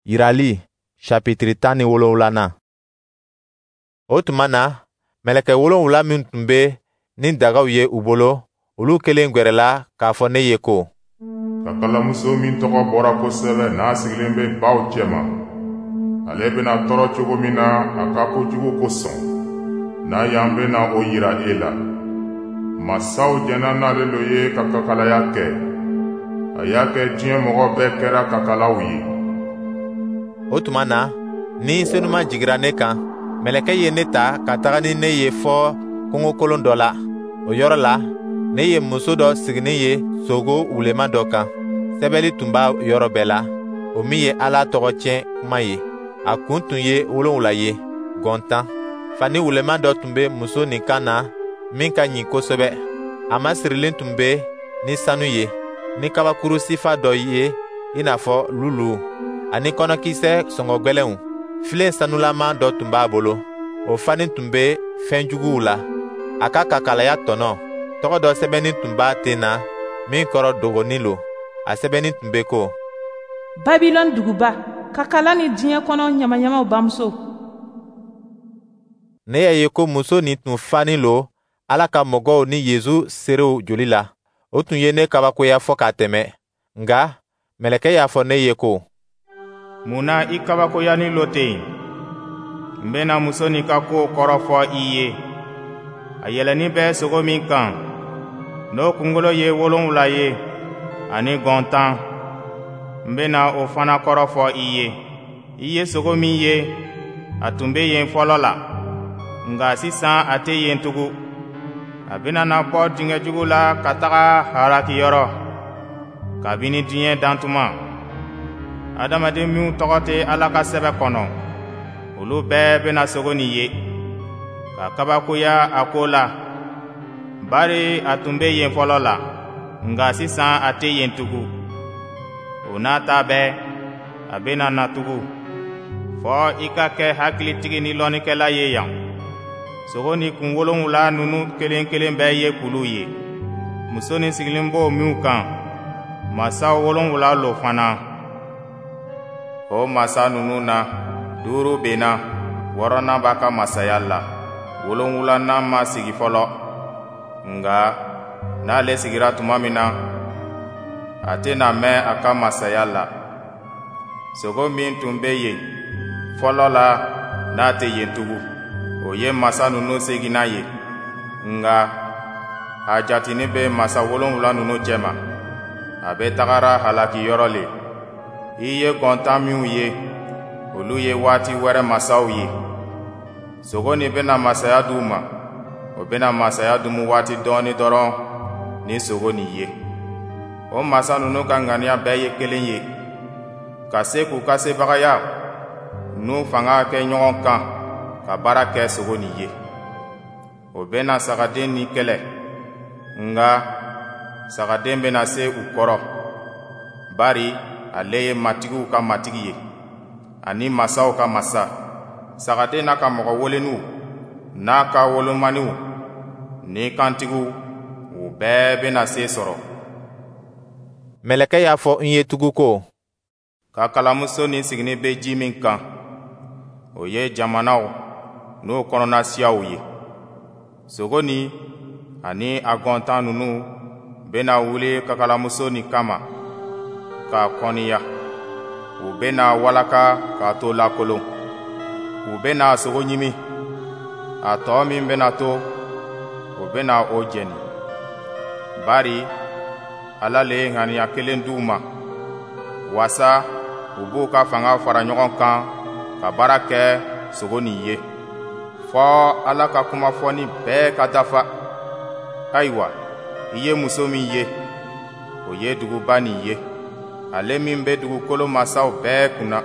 Yirali sapitiri 17nan. O tuma na, mɛlɛkɛ wolonwula min tun bɛ ni dagaw ye u bolo, olu kelen gwɛrɛla k'a fɔ ne ye ko: Kakalamuso min tɔgɔ bɔra kosɛbɛ, n'a sigilen bɛ baw cɛma, ale bɛna tɔɔrɔ cogo min na a ka kojugu kosɔn, na yan bɛna o yira e la. Masaw jɛnna n'ale lo ye ka kakalaya kɛ. A y'a kɛ diɲɛ mɔgɔ bɛɛ kɛra kakalaw ye. O tuma na, Ni Senuma jigira ne kan. Mɛlɛkɛ ye ne ta ka taga ni ne ye fɔ kungokolon dɔ la. O yɔrɔ la, ne ye muso dɔ siginin ye sogo wulema dɔ kan. Sɛbɛli tun b'a yɔrɔ bɛɛ la, o min ye Ala tɔgɔ tiɲɛ kuma ye. A kun tun ye 7 ye, gɔn 10. Fani wulema dɔ tun bɛ muso nin kan na min ka ɲi kosɛbɛ. A masirilen tun bɛ ni sanu ye, ni kabakuru sifa dɔ ye i n'a fɔ lulu, ani kɔnɔkisɛ sɔngɔ gwɛlɛnw. Filen sanulama dɔ tun b'a bolo, o fanin tun bɛ fɛn juguw la. A ka kakalaya tɔnɔ, tɔgɔ dɔ sɛbɛnnin tun b'a ten na min kɔrɔ dogonin lo. A sɛbɛnnin tun bɛ ko: Babilɔni duguba, kakala ni diɲɛ kɔnɔ ɲamaɲamaw bamuso. Ne y'a ye ko muso nin tun fanin lo Ala ka mɔgɔw ni Yezu seerew joli la. O tun ye ne kabakoya fɔ ka tɛmɛ. Nka mɛlɛkɛ y'a fɔ ne ye ko: Mun na i kabakoyanin lo ten? N bɛna muso nin ka kow kɔrɔ fɔ i ye. A yɛlɛnnin bɛ sogo min kan, n'o kunkolo ye 7 ye ani gɔn 10, n bɛna o fana kɔrɔ fɔ i ye. I ye sogo min ye, a tun bɛ yen fɔlɔ la, nka sisan a tɛ yen tugun. A bɛna na bɔ dingɛ jugu la ka taga halakiyɔrɔ. Kabini diɲɛ dantuma, adamaden minw tɔgɔ tɛ Ala ka sɛbɛ kɔnɔ, olu bɛɛ bɛna sogo nin ye, ka kabakoya a ko la, bari a tun bɛ yen fɔlɔ la, nka sisan a tɛ yen tugun. O n'a ta bɛɛ, a bɛna na tugun, fɔ i ka kɛ hakilitigi ni lɔnnikɛla ye yan. Sogo ni kun 7 ninnu kelen kelen bɛɛ ye kuluw ye. Muso nin sigilen b'o minw kan, masa 7 lo fana. O masa ninnu na, 5 benna, 6nan b'a ka masaya la, 7nan ma sigi fɔlɔ. Nka n'ale sigira tuma min na, a tɛna mɛn a ka masaya la. Sogo min tun bɛ yen fɔlɔ la, n'a tɛ yen tugun, o ye masa ninnu seginnan ye. Nka a jatinin bɛ masa 7 ninnu cɛma. A bɛ tagara halakiyɔrɔ le. I ye gɔn 10 minw ye, olu ye waati wɛrɛ masaw ye. Sogo nin bɛna masaya d'u ma, o bɛna masaya dumu waati dɔɔni dɔrɔn ni sogo nin ye. O masa ninnu ka ŋaniya bɛɛ ye kelen ye, ka se k'u ka sebagaya n'u fanga kɛ ɲɔgɔn kan ka baara kɛ sogo nin ye. O bɛna sagaden nin kɛlɛ, nka sagaden bɛna se u kɔrɔ, bari ale ye matigiw ka matigi ye ani masaw ka masa. Sagaden n'a ka mɔgɔ weleninw n'a ka wolomaniw ni kantigiw, u bɛɛ bɛna se sɔrɔ. Mɛlɛkɛ y'a fɔ n ye tugun ko: Kakalamuso nin siginin bɛ ji min kan, o ye jamanaw n'o kɔnɔna siyaw ye. Sogo nin ani a gɔn 10 ninnu bɛna wuli kakalamuso nin kama k'a kɔniya. U bɛna walaka k'a to lakolon. U bɛna a sogo ɲimi. A tɔ min bɛna to, o bɛna o jɛni. Bari Ala le ye ŋaniya kelen d'u ma, waasa u b'u ka fanga fara ɲɔgɔn kan ka baara kɛ sogo nin ye, fɔ Ala ka kuma fɔni bɛɛ ka dafa. Ayiwa, i ye muso min ye, o ye duguba nin ye, ale min bɛ dugukolo masaw bɛɛ kunna.